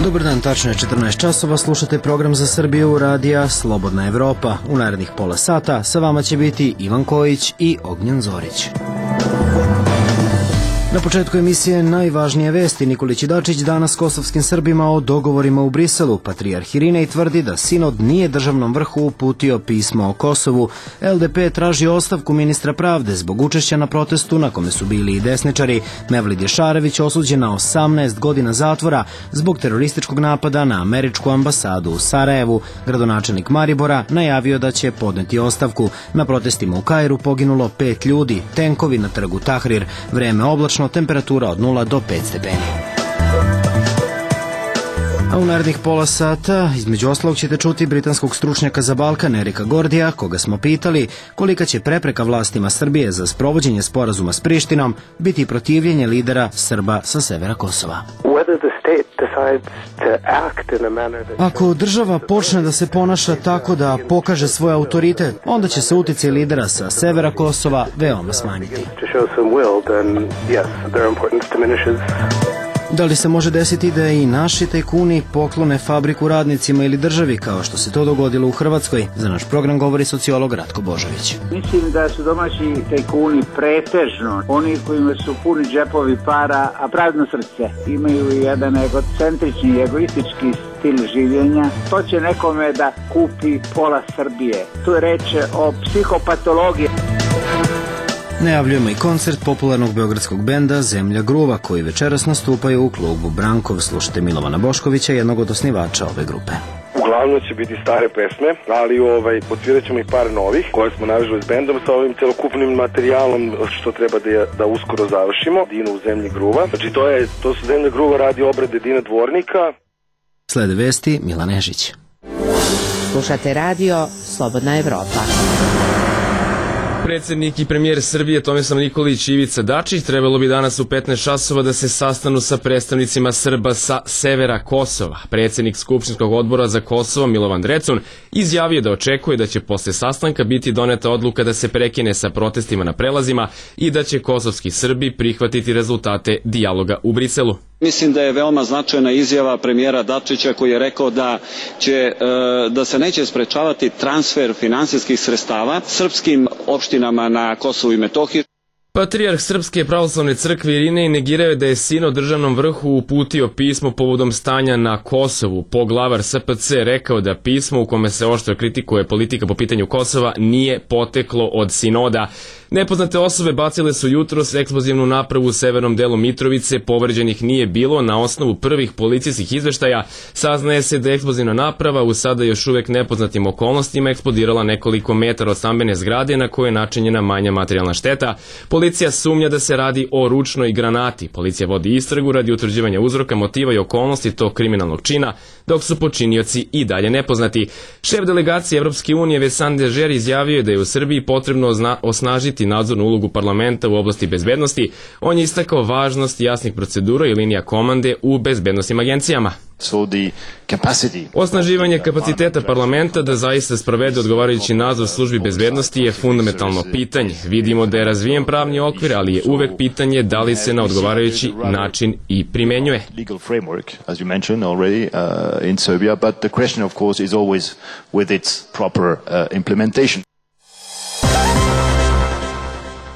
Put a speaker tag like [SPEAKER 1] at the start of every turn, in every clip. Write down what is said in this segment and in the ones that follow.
[SPEAKER 1] Dobar dan, tačno je 14 časova, slušate program za Srbiju radija Slobodna Evropa. U narednih pola sata sa vama će biti Ivan Kojić i Ognjen Zorić. Na početku emisije najvažnije vesti. Nikolić i Dačić danas kosovskim Srbima o dogovorima u Briselu. Patrijarh Irinej tvrdi da sinod nije državnom vrhu uputio pismo o Kosovu. LDP traži ostavku ministra pravde zbog učešća na protestu na kome su bili i desničari. Mevlid Ješarević osuđen na 18 godina zatvora zbog terorističkog napada na američku ambasadu u Sarajevu. Gradonačelnik Maribora najavio da će podneti ostavku. Na protestima u Kairu poginulo 5 ljudi. Tenkovi na trgu Tahrir. Vreme oblačno, temperatura od 0 do 5 stepeni. A u narednih pola sata, između ostalog, ćete čuti britanskog stručnjaka za Balkan Erika Gordija, koga smo pitali kolika će prepreka vlastima Srbije za sprovođenje sporazuma s Prištinom biti protivljenje lidera Srba sa severa Kosova. Ako država počne da se ponaša tako da pokaže svoj autoritet, onda će se uticaj lidera sa severa Kosova veoma smanjiti. Da li se može desiti da i naši tajkuni poklone fabriku radnicima ili državi, kao što se to dogodilo u Hrvatskoj? Za naš program govori sociolog Ratko Božović.
[SPEAKER 2] Mislim da su domaći tajkuni pretežno oni kojima su puni džepovi para, a prazno srce. Imaju jedan egocentrični, egoistički stil življenja. To će nekome da kupi pola Srbije. Tu je reč o psihopatologiji.
[SPEAKER 1] Najavljujemo i koncert popularnog beogradskog benda Zemlja gruva, koji večeras nastupaju u klubu Brankov. Slušajte Milovana Boškovića, jednog od osnivača ove grupe.
[SPEAKER 3] Uglavnom će biti stare pesme, ali podsvirat ćemo i par novih koje smo navežali s bendom sa ovim celokupnim materijalom što treba da uskoro završimo. Dino u Zemlji gruva. Znači to su Zemlja gruva radi obrade Dina Dvornika.
[SPEAKER 1] Slede vesti Milan Nežić.
[SPEAKER 4] Slušate radio Slobodna Evropa.
[SPEAKER 5] Predsjednik i premijer Srbije Tomislav Nikolić i Ivica Dačić trebalo bi danas u 15 časova da se sastanu sa predstavnicima Srba sa severa Kosova. Predsjednik Skupštinskog odbora za Kosovo Milovan Drecun izjavio da očekuje da će posle sastanka biti doneta odluka da se prekine sa protestima na prelazima i da će kosovski Srbi prihvatiti rezultate dijaloga u Briselu.
[SPEAKER 6] Mislim da je veoma značajna izjava premijera Dačića koji je rekao da se neće sprečavati transfer finansijskih sredstava srpskim opštinama na Kosovu i Metohiji.
[SPEAKER 5] Patrijarh Srpske pravoslavne crkve Irinej negirao je da je sinod državnom vrhu uputio pismo povodom stanja na Kosovu. Poglavar SPC rekao da pismo u kome se oštro kritikuje politika po pitanju Kosova nije poteklo od sinoda. Nepoznate osobe bacile su jutros eksplozivnu napravu u severnom delu Mitrovice, povređenih nije bilo. Na osnovu prvih policijskih izveštaja saznaje se da je eksplozivna naprava u sada još uvek nepoznatim okolnostima eksplodirala nekoliko metara od stambene zgrade na kojoj je načinjena manja materijalna šteta. Policija sumnja da se radi o ručnoj granati. Policija vodi istragu radi utvrđivanja uzroka, motiva i okolnosti tog kriminalnog čina, dok su počinioci i dalje nepoznati. Šef delegacije Evropske unije Vincent Dežer izjavio je da je u Srbiji potrebno osnažiti nadzornu ulogu parlamenta u oblasti bezbednosti. On je istakao važnost jasnih procedura i linija komande u bezbednosnim agencijama. Osnaživanje kapaciteta parlamenta da zaista sprovede odgovarajući nadzor službi bezbednosti je fundamentalno pitanje. Vidimo da je razvijen pravni okvir, ali je uvek pitanje da li se na odgovarajući način i primenjuje.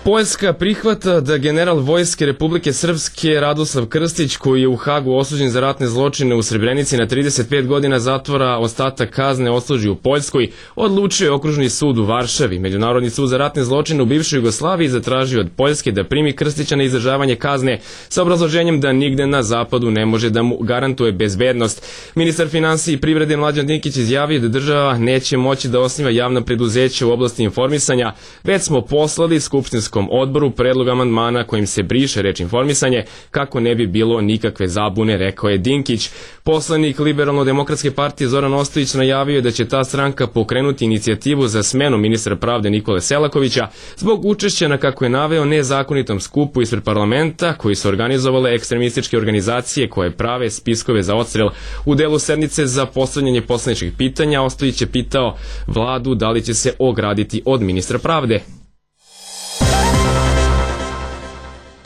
[SPEAKER 5] Poljska prihvata da general Vojske Republike Srpske Radoslav Krstić, koji je u Hagu osuđen za ratne zločine u Srebrenici na 35 godina zatvora, ostatak kazne odsluži u Poljskoj, odlučio je Okružni sud u Varšavi. Međunarodni sud za ratne zločine u bivšoj Jugoslaviji zatražio od Poljske da primi Krstića na izdržavanje kazne sa obrazloženjem da nigde na zapadu ne može da mu garantuje bezbednost. Ministar finansija i privrede Mlađan Dinkić izjavio da država neće moći da osniva javna preduzeća u oblasti informisanja, već smo poslali skupštinskom odboru predlog amandmana kojim se briše reč informisanje kako ne bi bilo nikakve zabune, rekao je Dinkić. Poslanik Liberalno-demokratske partije Zoran Ostojić najavio je da će ta stranka pokrenuti inicijativu za smenu ministra pravde Nikole Selakovića zbog učešća na, kako je naveo, nezakonitom skupu ispred parlamenta koji su organizovale ekstremističke organizacije koje prave spiskove za odstrel. U delu sednice za postavljanje poslaničkih pitanja Ostojić je pitao vladu da li će se ograditi od ministra pravde.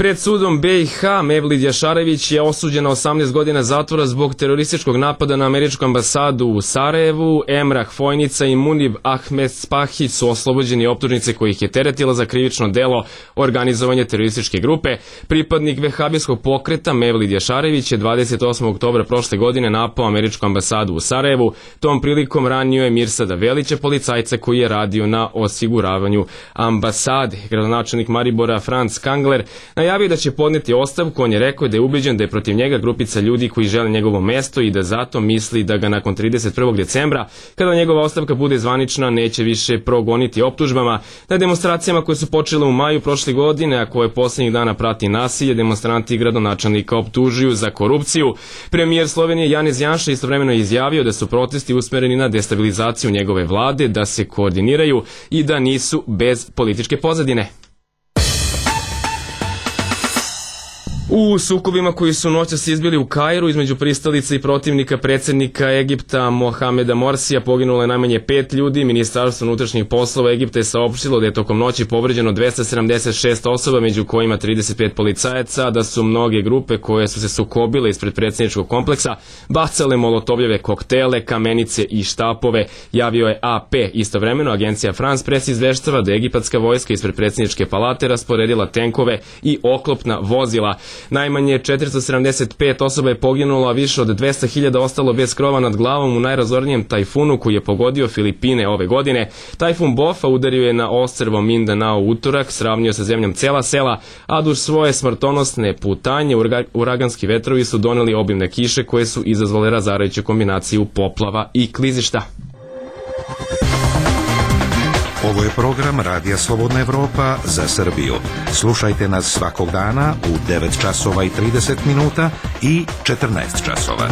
[SPEAKER 5] Pred sudom BiH Mevlid Jašarević je osuđen na 18 godina zatvora zbog terorističkog napada na američku ambasadu u Sarajevu. Emrah Fojnica i Munib Ahmed Spahić su oslobođeni optužnice kojih je teretila za krivično delo organizovanje terorističke grupe. Pripadnik vehabijskog pokreta Mevlid Jašarević je 28. oktobra prošle godine napao američku ambasadu u Sarajevu. Tom prilikom ranio je Mirsada Velića, policajca koji je radio na osiguravanju ambasade. Gradonačelnik Maribora Franz Kangler najavio da će podneti ostavku. On je rekao da je ubeđen da je protiv njega grupica ljudi koji žele njegovo mesto i da zato misli da ga nakon 31. decembra, kada njegova ostavka bude zvanična, neće više progoniti optužbama. Na demonstracijama koje su počele u maju prošle godine, a koje posljednjih dana prati nasilje, demonstranti gradonačelnika optužuju za korupciju. Premijer Slovenije Janez Janša istovremeno je izjavio da su protesti usmereni na destabilizaciju njegove vlade, da se koordiniraju i da nisu bez političke pozadine. U sukobima koji su noćas izbili u Kairu između pristalica i protivnika predsjednika Egipta Mohameda Morsija poginulo je najmanje 5 ljudi. Ministarstvo unutrašnjih poslova Egipta je saopštilo da je tokom noći povređeno 276 osoba, među kojima 35 policajaca, da su mnoge grupe koje su se sukobile ispred predsjedničkog kompleksa bacale molotovljeve koktele, kamenice i štapove, javio je AP. Istovremeno agencija France Press izveštava da je egipatska vojska ispred predsjedničke palate rasporedila tenkove i oklopna vozila. Najmanje 475 osoba je poginulo, a više od 200.000 ostalo bez krova nad glavom u najrazornijem tajfunu koji je pogodio Filipine ove godine. Tajfun Bofa udario je na ostrvo Mindanao utorak, sravnio sa zemljom cela sela, a duž svoje smrtonosne putanje uraganski vetrovi su doneli obimne kiše koje su izazvale razarajuću kombinaciju poplava i klizišta.
[SPEAKER 7] Ovo je program Radija Slobodna Evropa za Srbiju. Slušajte nas svakog dana u 9 časova i 30 minuta i 14 časova.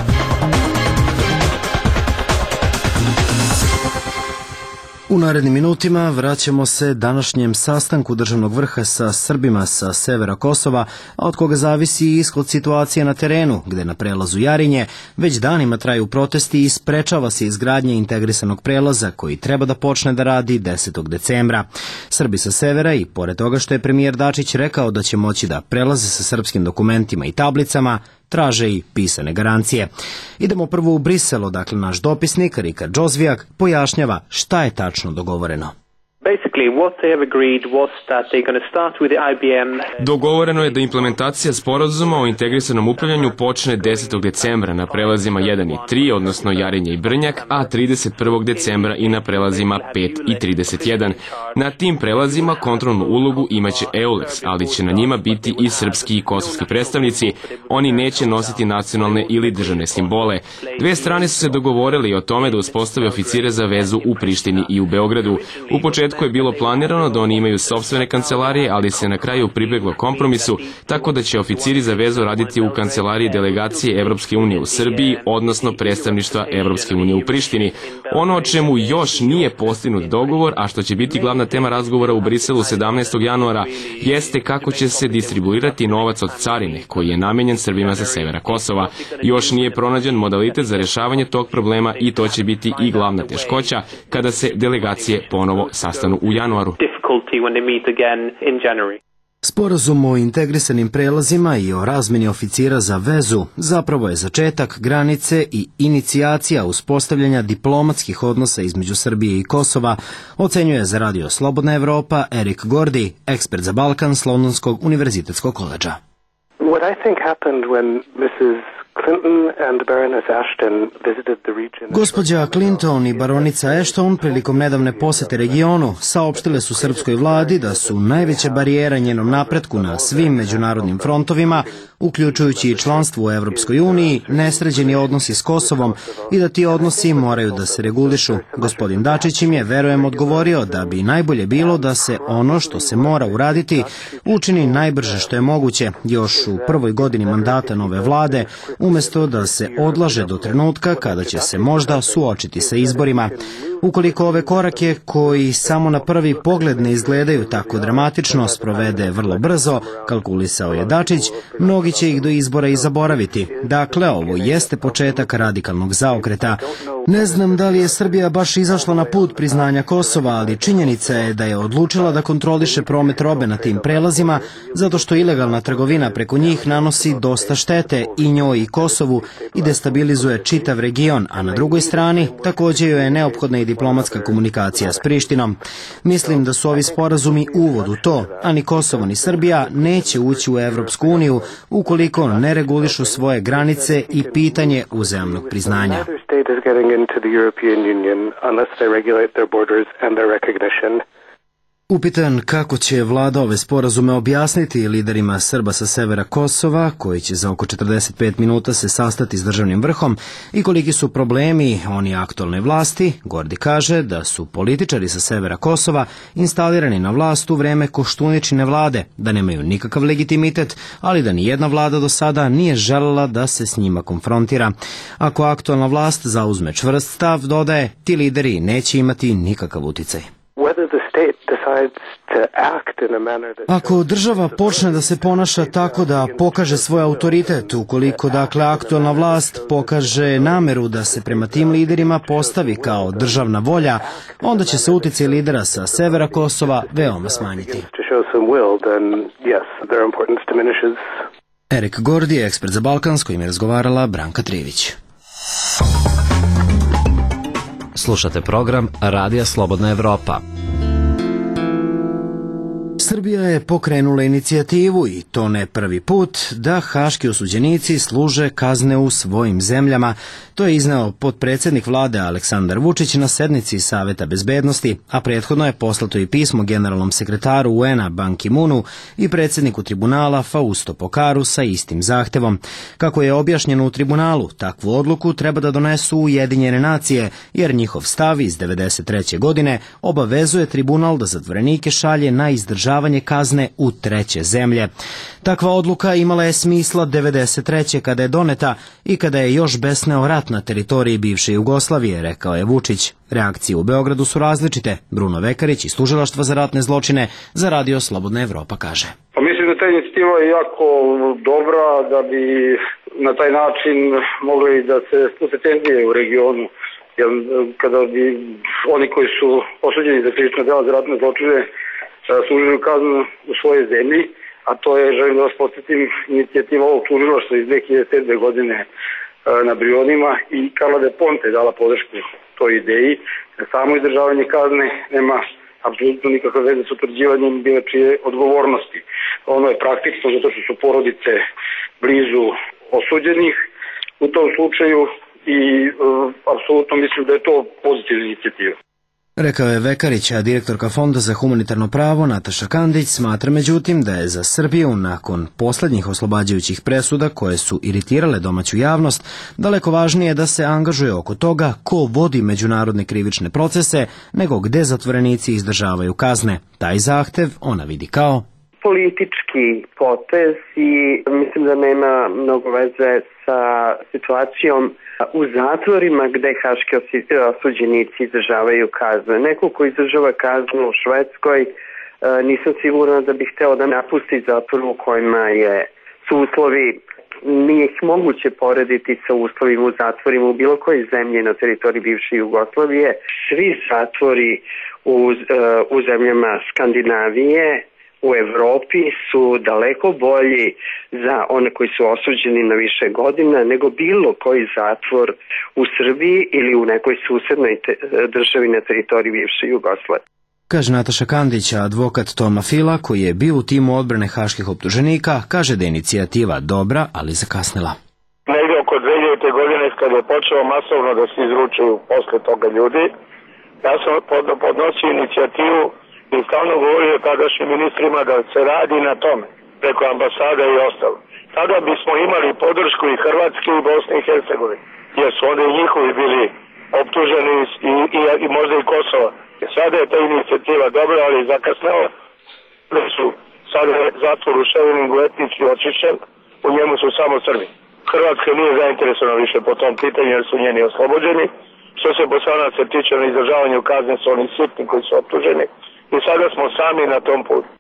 [SPEAKER 1] U narednim minutima vraćamo se današnjem sastanku državnog vrha sa Srbima sa severa Kosova, a od koga zavisi ishod situacije na terenu, gde na prelazu Jarinje već danima traju protesti i sprečava se izgradnja integrisanog prelaza koji treba da počne da radi 10. decembra. Srbi sa severa i pored toga što je premijer Dačić rekao da će moći da prelaze sa srpskim dokumentima i tablicama, traže i pisane garancije. Idemo prvo u Brisel, odakle naš dopisnik Rika Džozvijak pojašnjava šta je tačno dogovoreno.
[SPEAKER 5] Dogovoreno je da implementacija sporazuma o integrisanom upravljanju počne 10. decembra na prelazima 1 i 3, odnosno Jarinje i Brnjak, a 31. decembra i na prelazima 5 i 31. Na tim prelazima kontrolnu ulogu imaće EULEX, ali će na njima biti i srpski i kosovski predstavnici. Oni neće nositi nacionalne ili državne simbole. Dve strane su se dogovorili o tome da uspostave oficire za vezu u Prištini i u Beogradu. U početku je bilo planirano da oni imaju sopstvene kancelarije, ali se na kraju pribeglo kompromisu, tako da će oficiri za vezu raditi u kancelariji delegacije Evropske unije u Srbiji, odnosno predstavništva Evropske unije u Prištini. Ono o čemu još nije postignut dogovor, a što će biti glavna tema razgovora u Briselu 17. januara, jeste kako će se distribuirati novac od carine, koji je namenjen Srbima sa severa Kosova. Još nije pronađen modalitet za rešavanje tog problema i to će biti i glavna teškoća kada se delegacije ponovo sastanu u januaru.
[SPEAKER 1] Sporazum o integrisanim prelazima i o razmeni oficira za vezu zapravo je začetak granice i inicijacija uspostavljanja diplomatskih odnosa između Srbije i Kosova, ocenjuje za Radio Slobodna Evropa Erik Gordi, ekspert za Balkan s Londonskog univerzitetskog koledža.
[SPEAKER 8] What I think happened when Mrs. Clinton and Baroness Ashton visited the region.
[SPEAKER 1] Gospođa Clinton i baronica Ashton prilikom nedavne posete regionu saopštile su srpskoj vladi da su najveća barijera njenom napretku na svim međunarodnim frontovima, uključujući i članstvo u Evropskoj uniji, nesređeni odnosi s Kosovom i da ti odnosi moraju da se regulišu. Gospodin Dačić im je, verujem, odgovorio da bi najbolje bilo da se ono što se mora uraditi učini najbrže što je moguće, još u prvoj godini mandata nove vlade, umesto da se odlaže do trenutka kada će se možda suočiti sa izborima. Ukoliko ove korake, koji samo na prvi pogled ne izgledaju tako dramatično, sprovede vrlo brzo, kalkulisao je Dačić, mnogi će ih do izbora i zaboraviti. Dakle, ovo jeste početak radikalnog zaokreta. Ne znam da li je Srbija baš izašla na put priznanja Kosova, ali činjenica je da je odlučila da kontroliše promet robe na tim prelazima, zato što ilegalna trgovina preko njih nanosi dosta štete i njoj i Kosovu i destabilizuje čitav region, a na drugoj strani također joj je neophodna i diplomatska komunikacija s Prištinom. Mislim da su ovi sporazumi uvod u to, a ni Kosovo ni Srbija neće ući u Evropsku uniju ukoliko ne regulišu svoje granice i pitanje uzajamnog priznanja. Upitan kako će vlada ove sporazume objasniti liderima Srba sa severa Kosova, koji će za oko 45 minuta se sastati s državnim vrhom, i koliki su problemi oni aktualne vlasti, Gordi kaže da su političari sa severa Kosova instalirani na vlast u vreme Koštuničine vlade, da nemaju nikakav legitimitet, ali da nijedna vlada do sada nije želela da se s njima konfrontira. Ako aktualna vlast zauzme čvrst stav, dodaje, ti lideri neće imati nikakav uticaj. Ako država počne da se ponaša tako da pokaže svoj autoritet, ukoliko dakle aktualna vlast pokaže nameru da se prema tim liderima postavi kao državna volja, onda će se uticaj lidera sa severa Kosova veoma smanjiti. Erik Gordi je ekspert za Balkan, s kojim je razgovarala Branka Trivić.
[SPEAKER 9] Slušate program Radija Slobodna Evropa.
[SPEAKER 1] Srbija je pokrenula inicijativu, i to ne prvi put, da haški osuđenici služe kazne u svojim zemljama. To je izneo potpredsjednik vlade Aleksandar Vučić na sednici Saveta bezbednosti, a prethodno je poslato i pismo generalnom sekretaru UN-a Ban Ki-moonu i predsjedniku tribunala Fausto Pokaru sa istim zahtevom. Kako je objašnjeno u tribunalu, takvu odluku treba da donesu Ujedinjene nacije, jer njihov stav iz 1993. godine obavezuje tribunal da zatvorenike šalje na izdržavanje kazne u treće zemlje. Takva odluka imala je smisla 1993. kada je doneta i kada je još besneo rat na teritoriji bivše Jugoslavije, rekao je Vučić. Reakcije u Beogradu su različite. Bruno Vekarić iz Tužilaštva za ratne zločine za Radio Slobodna Evropa kaže.
[SPEAKER 10] Pa mislim da ta inicijativa je jako dobra, da bi na taj način mogli da se spuse tenzije u regionu. Jer kada bi oni koji su osuđeni za krivična dela za ratne zločine služili kaznu u svojoj zemlji, a to je, želim da vas podsjetim, inicijativa ovog tužilaštva iz 2007. godine na Brionima, i Carla Del Ponte je dala podršku toj ideji. Samo izdržavanje kazne nema apsolutno nikakve veze s utvrđivanjem bilo čije odgovornosti. Ono je praktično zato što su porodice blizu osuđenih u tom slučaju i apsolutno mislim da je to pozitivna inicijativa.
[SPEAKER 1] Rekao je Vekarić, a direktorka Fonda za humanitarno pravo Nataša Kandić smatra međutim da je za Srbiju nakon posljednjih oslobađajućih presuda koje su iritirale domaću javnost daleko važnije da se angažuje oko toga ko vodi međunarodne krivične procese nego gde zatvorenici izdržavaju kazne. Taj zahtev ona vidi kao
[SPEAKER 8] politički potez i mislim da nema mnogo veze sa situacijom u zatvorima gde haški osuđenici izdržavaju kazne. Neko ko izdržava kaznu u Švedskoj, nisam sigurna da bih hteo da napusti zatvor u kojima su uslovi, nije ih moguće porediti sa uslovima u zatvorima u bilo kojoj zemlji na teritoriji bivše Jugoslavije. Svi zatvori u zemljama Skandinavije, u Evropi su daleko bolji za one koji su osuđeni na više godina nego bilo koji zatvor u Srbiji ili u nekoj susednoj državi na teritoriji bivše Jugoslavije.
[SPEAKER 1] Kaže Nataša Kandić, a advokat Toma Fila, koji je bio u timu odbrane haških optuženika, kaže da je inicijativa dobra, ali zakasnila.
[SPEAKER 10] Negdje oko 2000. godine kada je počelo masovno da se izručuju posle toga ljudi, ja sam podnosio inicijativu i stalno govorio tadašnjim ministrima da se radi na tome, preko ambasada i ostalo. Tada bismo imali podršku i Hrvatske i Bosne i Hercegovine, jer su onda i njihovi bili optuženi i možda i Kosova. Sada je ta inicijativa dobra, ali zakasnela. Sada je zatvor u Ševeningu etnički očišćen, u njemu su samo Srbi. Hrvatska nije zainteresovana više po tom pitanju jer su njeni oslobođeni.
[SPEAKER 3] Što se Bosanaca tiče na izdržavanju kazne su oni sitni koji su optuženi i sada smo sami na tom putu.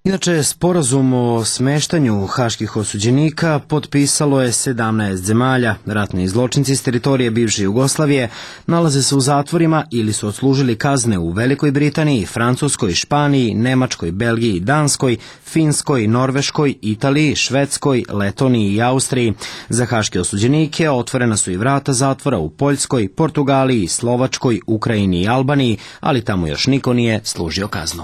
[SPEAKER 1] Inače, sporazum o smeštanju haških osuđenika potpisalo je 17 zemalja. Ratni zločinci s teritorije bivše Jugoslavije nalaze se u zatvorima ili su odslužili kazne u Velikoj Britaniji, Francuskoj, Španiji, Nemačkoj, Belgiji, Danskoj, Finskoj, Norveškoj, Italiji, Švedskoj, Letoniji i Austriji. Za haške osuđenike otvorena su i vrata zatvora u Poljskoj, Portugaliji, Slovačkoj, Ukrajini i Albaniji, ali tamo još niko nije služio kaznu.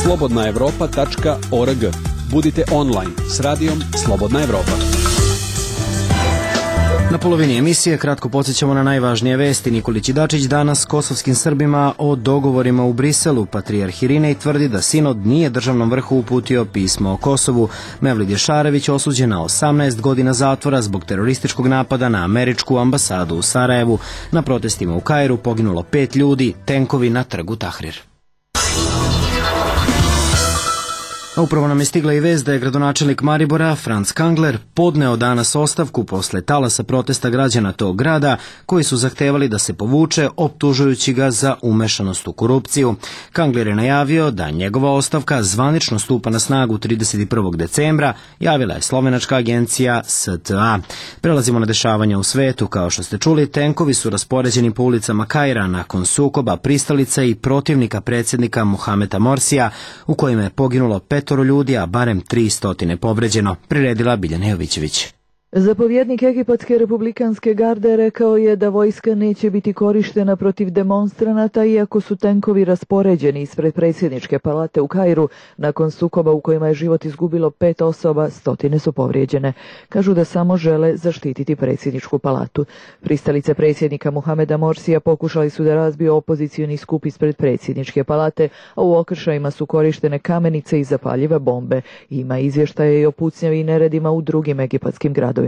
[SPEAKER 11] slobodnaevropa.org. Budite online s radijom Slobodna Evropa.
[SPEAKER 1] Na polovini emisije kratko podsjećamo na najvažnije vesti. Nikolić i Dačić danas kosovskim Srbima o dogovorima u Briselu. Patrijarh Irinej tvrdi da sinod nije državnom vrhu uputio pismo o Kosovu. Mevlid Ješarević osuđen na 18 godina zatvora zbog terorističkog napada na američku ambasadu u Sarajevu. Na protestima u Kairu poginulo 5 ljudi, tenkovi na trgu Tahrir. A upravo nam je stigla i vest da je gradonačelnik Maribora, Franz Kangler, podneo danas ostavku posle talasa protesta građana tog grada koji su zahtevali da se povuče, optužujući ga za umešanost u korupciju. Kangler je najavio da njegova ostavka zvanično stupa na snagu 31. decembra, javila je slovenačka agencija STA. Prelazimo na dešavanja u svetu. Kao što ste čuli, tenkovi su raspoređeni po ulicama Kaira nakon sukoba pristalica i protivnika predsjednika Mohameda Morsija, u kojima je poginulo 5 ljudi, a barem 300 povređeno, priredila Biljana Jovićević.
[SPEAKER 12] Zapovjednik Egipatske republikanske garde rekao je da vojska neće biti korištena protiv demonstranata iako su tenkovi raspoređeni ispred predsjedničke palate u Kairu nakon sukoba u kojima je život izgubilo 5 osoba, 100 su povrijeđene. Kažu da samo žele zaštititi predsjedničku palatu. Pristalice predsjednika Mohameda Morsija pokušali su da razbiju opozicioni skup ispred predsjedničke palate, a u okršajima su korištene kamenice i zapaljive bombe. Ima izvještaje i o pucnjavi i neredima u drugim egipatskim gradovima.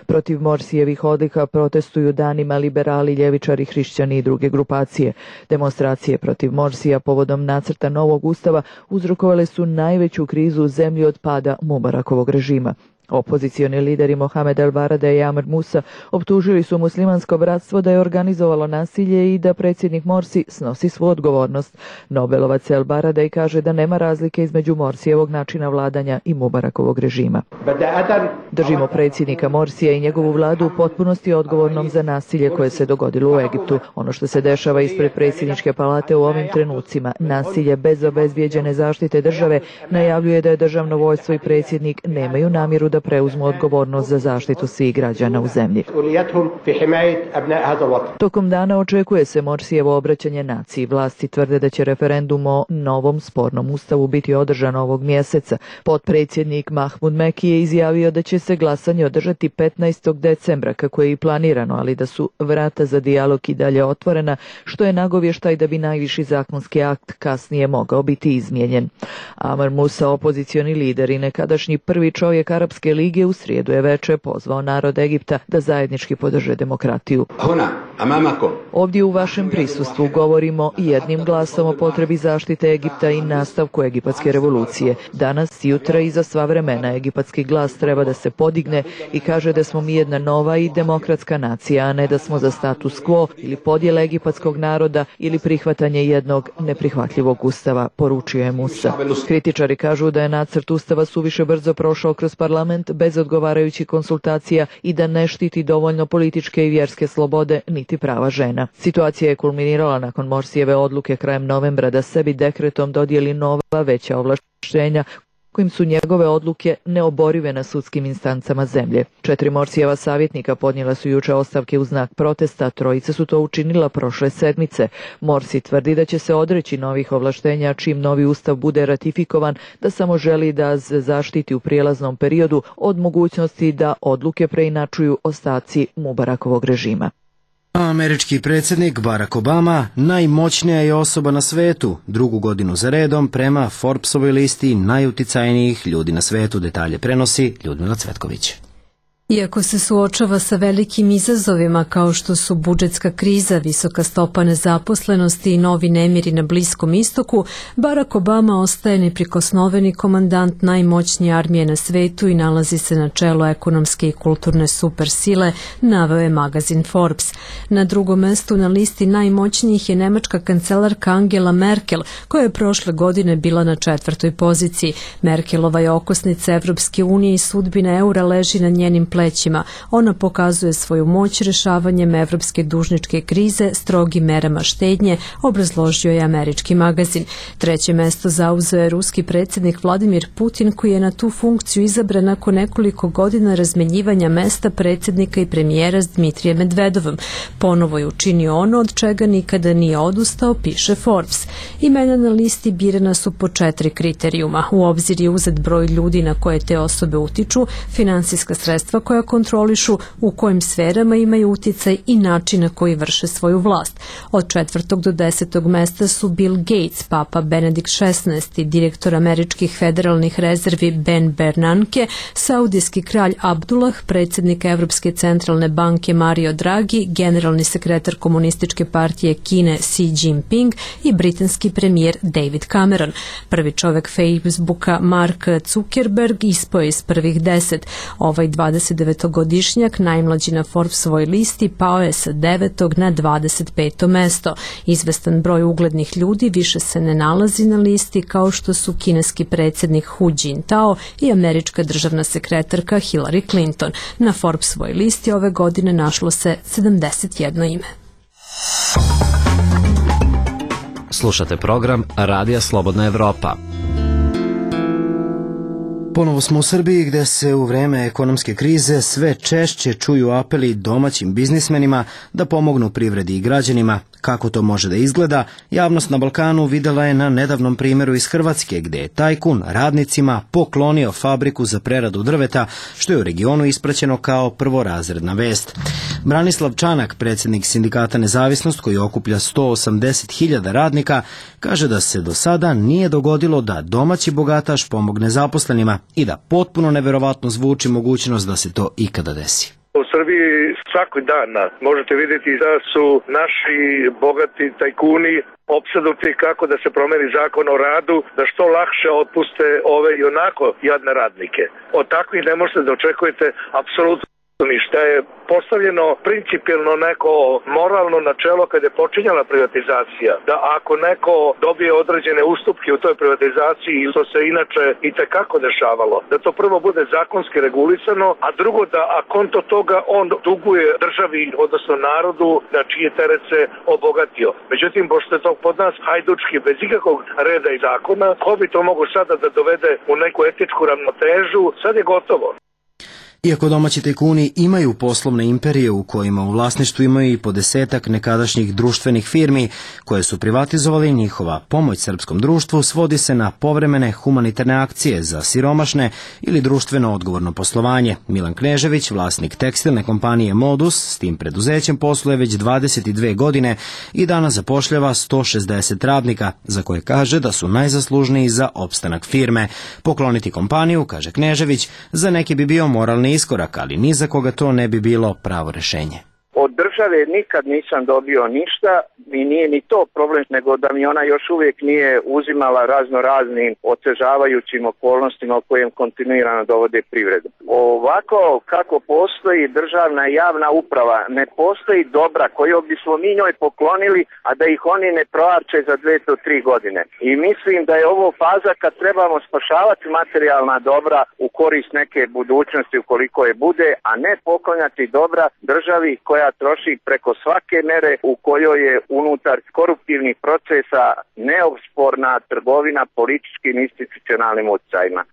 [SPEAKER 12] Protiv Morsijevih odlika protestuju danima liberali, ljevičari, hrišćani i druge grupacije. Demonstracije protiv Morsija povodom nacrta novog ustava uzrokovale su najveću krizu u zemlji od pada Mubarakovog režima. Opozicioni lideri Mohamed El Barade i Amr Musa optužili su muslimansko bratstvo da je organizovalo nasilje i da predsjednik Morsi snosi svu odgovornost. Nobelovac El Barade kaže da nema razlike između Morsijevog načina vladanja i Mubarakovog režima. Držimo predsjednika Morsija i njegovu vladu u potpunosti odgovornom za nasilje koje se dogodilo u Egiptu. Ono što se dešava ispred predsjedničke palate u ovim trenucima, nasilje bez obezbijeđene zaštite države, najavljuje da je državno vojstvo i predsjednik nemaju namjeru da preuzmu odgovornost za zaštitu svih građana u zemlji. Tokom dana očekuje se Morsijevo obraćanje naciji. Vlasti tvrde da će referendum o novom spornom ustavu biti održan ovog mjeseca. Potpredsjednik Mahmud Meki je izjavio da će se glasanje održati 15. decembra kako je i planirano, ali da su vrata za dijalog i dalje otvorena, što je nagovještaj da bi najviši zakonski akt kasnije mogao biti izmijenjen. Amr Musa, opozicioni lider i nekadašnji prvi čovjek Arapske lige, u srijedu je veče pozvao narod Egipta da zajednički podrže demokratiju. Ovdje u vašem prisustvu govorimo jednim glasom o potrebi zaštite Egipta i nastavku egipatske revolucije. Danas, jutra i za sva vremena egipatski glas treba da se podigne i kaže da smo mi jedna nova i demokratska nacija, a ne da smo za status quo ili podjele egipatskog naroda ili prihvatanje jednog neprihvatljivog ustava, poručio je Musa. Kritičari kažu da je nacrt ustava suviše brzo prošao kroz parlament bez odgovarajućih konsultacija i da ne štiti dovoljno političke i vjerske slobode niti prava žena. Situacija je kulminirala nakon Morsijeve odluke krajem novembra da sebi dekretom dodijeli nova veća ovlaštenja kojim su njegove odluke neoborive na sudskim instancama zemlje. 4 Morsijeva savjetnika podnijela su juče ostavke u znak protesta, 3 su to učinila prošle sedmice. Morsi tvrdi da će se odreći novih ovlaštenja čim novi ustav bude ratifikovan, da samo želi da se zaštiti u prijelaznom periodu od mogućnosti da odluke preinačuju ostaci Mubarakovog režima.
[SPEAKER 1] Američki predsjednik Barack Obama najmoćnija je osoba na svetu, drugu godinu za redom prema Forbesovoj listi najuticajnijih ljudi na svetu. Detalje prenosi Ljudmila Cvetković.
[SPEAKER 13] Iako se suočava sa velikim izazovima kao što su budžetska kriza, visoka stopa nezaposlenosti i novi nemiri na Bliskom istoku, Barack Obama ostaje neprikosnoveni komandant najmoćnije armije na svetu i nalazi se na čelu ekonomske i kulturne supersile, naveo je magazin Forbes. Na drugom mestu na listi najmoćnijih je nemačka kancelarka Angela Merkel, koja je prošle godine bila na 4. poziciji. Merkelova je okosnica Evropske unije i sudbina eura leži na njenim plećima. Ona pokazuje svoju moć rešavanjem evropske dužničke krize strogim merama štednje, obrazložio je američki magazin. Treće mesto zauzeo je ruski predsjednik Vladimir Putin, koji je na tu funkciju izabran nakon nekoliko godina razmenjivanja mesta predsjednika i premijera s Dmitrijem Medvedovom. Ponovo je učinio ono od čega nikada nije odustao, piše Forbes. Imena na listi birana su po 4 kriterijuma. U obzir je uzet broj ljudi na koje te osobe utiču, finansijska sredstva koja kontrolišu, u kojim sferama imaju uticaj i način na koji vrše svoju vlast. Od 4. do 10. mesta su Bill Gates, papa Benedikt XVI, direktor američkih federalnih rezervi Ben Bernanke, saudijski kralj Abdullah, predsjednik Evropske centralne banke Mario Draghi, generalni sekretar Komunističke partije Kine Xi Jinping i britanski premijer David Cameron. Prvi čovek Facebooka Mark Zuckerberg ispao je iz prvih 10. Ovaj 29-godišnjak, najmlađi na Forbesovoj listi, pao je sa 9. na 25. mesto. Izvestan broj uglednih ljudi više se ne nalazi na listi, kao što su kineski predsjednik Hu Jintao i američka državna sekretarka Hillary Clinton. Na Forbesovoj listi ove godine našlo se 71 ime.
[SPEAKER 9] Slušate program Radija Slobodna Evropa.
[SPEAKER 1] Ponovo smo u Srbiji, gde se u vreme ekonomske krize sve češće čuju apeli domaćim biznismenima da pomognu privredi i građanima. Kako to može da izgleda, javnost na Balkanu videla je na nedavnom primjeru iz Hrvatske, gde je tajkun radnicima poklonio fabriku za preradu drveta, što je u regionu ispraćeno kao prvorazredna vest. Branislav Čanak, predsjednik sindikata Nezavisnost, koji okuplja 180.000 radnika, kaže da se do sada nije dogodilo da domaći bogataš pomogne zaposlenima i da potpuno neverovatno zvuči mogućnost da se to ikada desi.
[SPEAKER 3] U Srbiji svaki dan možete vidjeti da su naši bogati tajkuni opsednuti kako da se promeni zakon o radu, da što lakše otpuste ove i onako jadne radnike. Od takvih ne možete da očekujete apsolutno ništa. Je postavljeno principijelno neko moralno načelo kada je počinjala privatizacija, da ako neko dobije određene ustupke u toj privatizaciji, to se inače i tekako dešavalo, da to prvo bude zakonski regulisano, a drugo da a konto toga on duguje državi, odnosno narodu, na čije teret se obogatio. Međutim, pošto je to pod nas hajdučki, bez ikakvog reda i zakona, ko bi to mogo sada da dovede u neku etičku ravnotežu, sad je gotovo.
[SPEAKER 1] Iako domaći tajkuni imaju poslovne imperije u kojima u vlasništvu imaju i po 10-ak nekadašnjih društvenih firmi koje su privatizovali, njihova pomoć srpskom društvu svodi se na povremene humanitarne akcije za siromašne ili društveno odgovorno poslovanje. Milan Knežević, vlasnik tekstilne kompanije Modus, s tim preduzećem posluje već 22 godine i danas zapošljava 160 radnika, za koje kaže da su najzaslužniji za opstanak firme. Pokloniti kompaniju, kaže Knežević, za neki bi bio moralni iskorak, ali ni za koga to ne bi bilo pravo rešenje.
[SPEAKER 14] Od države nikad nisam dobio ništa i nije ni to problem, nego da mi ona još uvijek nije uzimala razno raznim otežavajućim okolnostima u kojem kontinuirano dovode privredu. Ovako kako postoji državna javna uprava, ne postoji dobra koju bismo mi njoj poklonili, a da ih oni ne proarče za 2 do 3 godine. I mislim da je ovo faza kad trebamo spašavati materijalna dobra u korist neke budućnosti ukoliko je bude, a ne poklanjati dobra državi koja troši preko svake mere u kojoj je unutar koruptivnih procesa neosporna trgovina političkim institucionalnim utjecajima.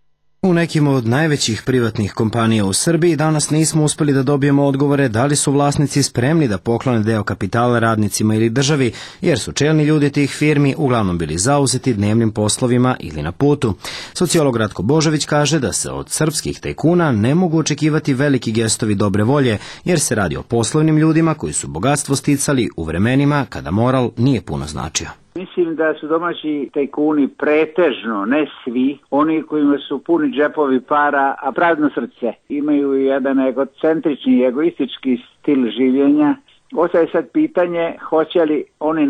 [SPEAKER 1] U nekim od najvećih privatnih kompanija u Srbiji danas nismo uspeli da dobijemo odgovore da li su vlasnici spremni da poklone deo kapitala radnicima ili državi, jer su čelni ljudi tih firmi uglavnom bili zauzeti dnevnim poslovima ili na putu. Sociolog Ratko Božović kaže da se od srpskih tajkuna ne mogu očekivati veliki gestovi dobre volje, jer se radi o poslovnim ljudima koji su bogatstvo sticali u vremenima kada moral nije puno značio.
[SPEAKER 2] Mislim da su domaći tajkuni pretežno, ne svi, oni kojima su puni džepovi para, a prazno srce. Imaju jedan egocentrični, egoistički stil življenja. Ostaje sad pitanje hoće li oni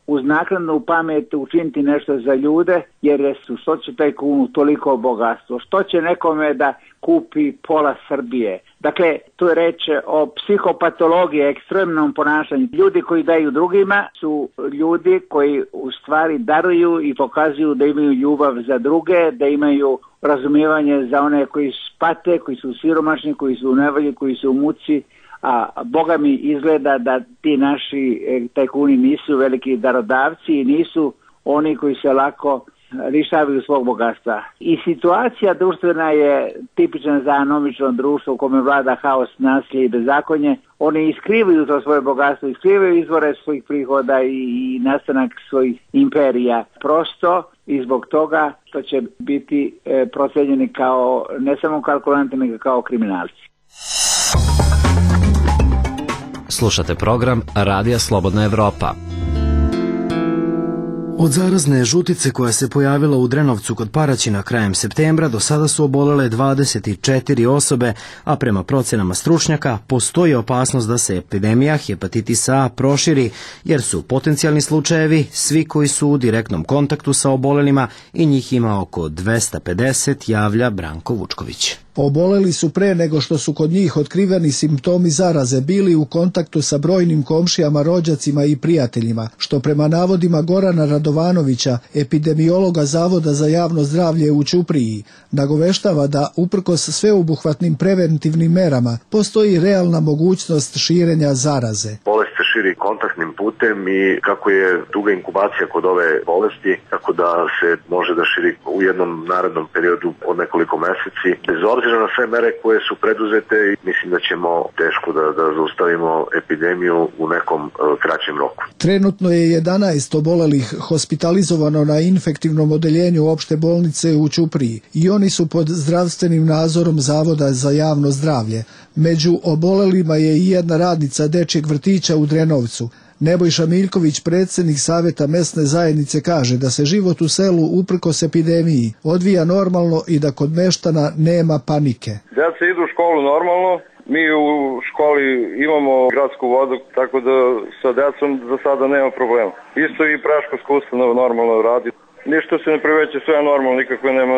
[SPEAKER 2] uz naknadnu pamet učiniti nešto za ljude, jer što će tajkunu toliko bogatstvo, što će nekome da kupi pola Srbije. Dakle, tu je reč o psihopatologiji, ekstremnom ponašanju. Ljudi koji daju drugima su ljudi koji u stvari daruju i pokazuju da imaju ljubav za druge, da imaju razumijevanje za one koji pate, koji su siromašni, koji su u nevolji, koji su u muci. A Boga mi izgleda da ti naši tajkuni nisu veliki darodavci i nisu oni koji se lako lišavaju svog bogatstva. I situacija društvena je tipična za anomično društvo u kome vlada haos, nasilje i bezakonje. Oni iskrivaju to svoje bogatstvo, iskrivaju izvore svojih prihoda i nastanak svojih imperija. Prosto i zbog toga to će biti procenjeni kao ne samo kalkulanti, nego kao kriminalci.
[SPEAKER 9] Slušate program Radija Slobodna Evropa.
[SPEAKER 1] Od zarazne žutice koja se pojavila u Drenovcu kod Paraćina krajem septembra do sada su obolele 24 osobe, a prema procenama stručnjaka postoji opasnost da se epidemija hepatitisa A proširi, jer su potencijalni slučajevi svi koji su u direktnom kontaktu sa obolelima i njih ima oko 250, javlja Branko Vučković.
[SPEAKER 15] Oboleli su pre nego što su kod njih otkriveni simptomi zaraze, bili u kontaktu sa brojnim komšijama, rođacima i prijateljima, što prema navodima Gorana Radovanovića, epidemiologa Zavoda za javno zdravlje u Ćupriji, nagoveštava da uprkos sveobuhvatnim preventivnim merama postoji realna mogućnost širenja zaraze.
[SPEAKER 16] Bolest se širi kontaktnim putem i kako je duga inkubacija kod ove bolesti, tako da se može da širi u jednom narednom periodu od nekoliko meseci. Bez obzira na sve mere koje su preduzete, mislim da ćemo teško da zaustavimo epidemiju u nekom kraćem roku.
[SPEAKER 15] Trenutno je 11 obolelih hospitalizovano na infektivnom odeljenju opšte bolnice u Ćupriji i oni su pod zdravstvenim nadzorom Zavoda za javno zdravlje. Među obolelima je i jedna radnica dečjeg vrtića u Drenovcu. Nebojša Miljković, predsjednik Saveta mesne zajednice, kaže da se život u selu uprkos epidemiji odvija normalno i da kod meštana nema panike.
[SPEAKER 17] Djeca idu u školu normalno, mi u školi imamo gradsku vodu, tako da sa djecom za sada nema problema. Isto i predškolska ustanova normalno radi. Ništa se ne priveće, sve je normalno, nikakve nema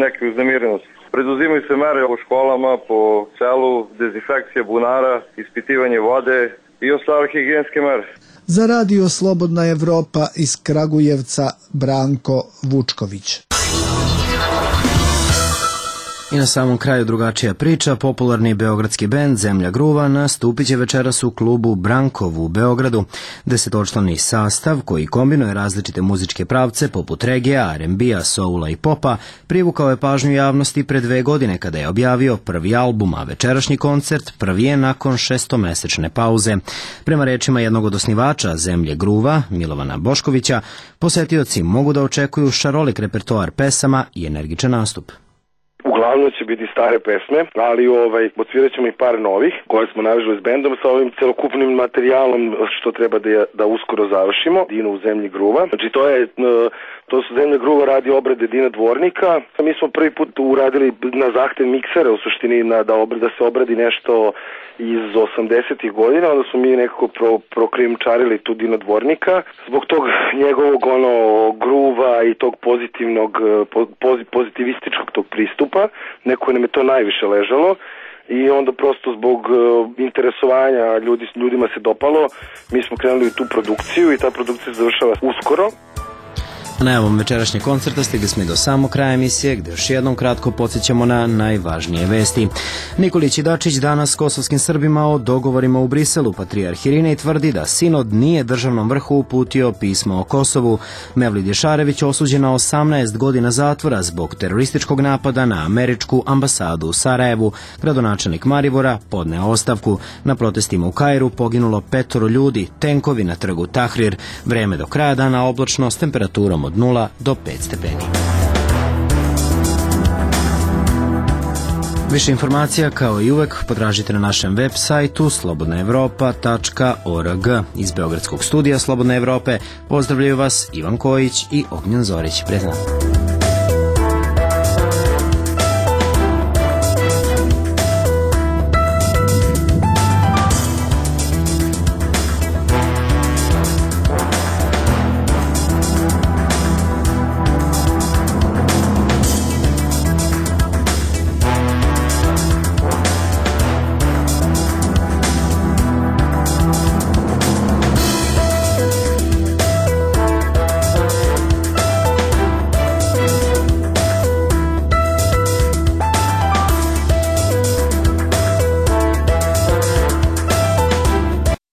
[SPEAKER 17] neke uznemirenosti. Preduzimaju se mere u školama, po selu, dezinfekcija bunara, ispitivanje vode i ostale higijenske mere.
[SPEAKER 15] Za Radio Slobodna Evropa iz Kragujevca, Branko Vučković.
[SPEAKER 1] I na samom kraju drugačija priča. Popularni beogradski bend Zemlja gruva nastupit će večeras u klubu Brankov u Beogradu. 10-člani sastav koji kombinuje različite muzičke pravce poput regija, R&B-a, soula i popa privukao je pažnju javnosti pre 2 godine kada je objavio prvi album, a večerašnji koncert prvi je nakon 6-mesečne pauze. Prema rečima jednog od osnivača Zemlje gruva, Milovana Boškovića, posetioci mogu da očekuju šarolik repertoar pesama i energičan nastup.
[SPEAKER 3] Uglavnom će biti stare pesme, ali odsvirat ćemo i par novih koje smo navežali s bendom sa ovim celokupnim materijalom što treba da uskoro završimo. Dino u Zemlji gruva. Znači to su Zemlja gruva radi obrade Dina Dvornika. Mi smo prvi put uradili na zahtev miksera u suštini da se obradi nešto iz 80-ih godina, onda smo mi nekako prokrijumčarili tu Dina Dvornika. Zbog tog njegovog gruva i tog pozitivnog, pozitivističkog tog pristupa, neko nam je to najviše ležalo i onda prosto zbog interesovanja ljudima se dopalo, mi smo krenuli u tu produkciju i ta produkcija se završava uskoro.
[SPEAKER 1] Najavom večerašnjeg koncerta stigli smo i do samog kraja emisije, gde još jednom kratko podsjećamo na najvažnije vesti. Nikolić i Dačić danas s kosovskim Srbima o dogovorima u Briselu. Patrijarh Irinej tvrdi da sinod nije državnom vrhu uputio pismo o Kosovu. Mevlid Ješarević osuđen na 18 godina zatvora zbog terorističkog napada na američku ambasadu u Sarajevu. Gradonačelnik Maribora podneo ostavku. Na protestima u Kairu poginulo 5 ljudi, tenkovi na trgu Tahrir. Vreme do kraja dana oblačno s temperaturom od 0 do 5 stepeni. Više informacija kao i uvek potražite na našem web sajtu slobodnaevropa.org. Iz Beogradskog studija Slobodne Evrope pozdravljaju vas Ivan Kojić i Ognjen Zorić. Prijatno.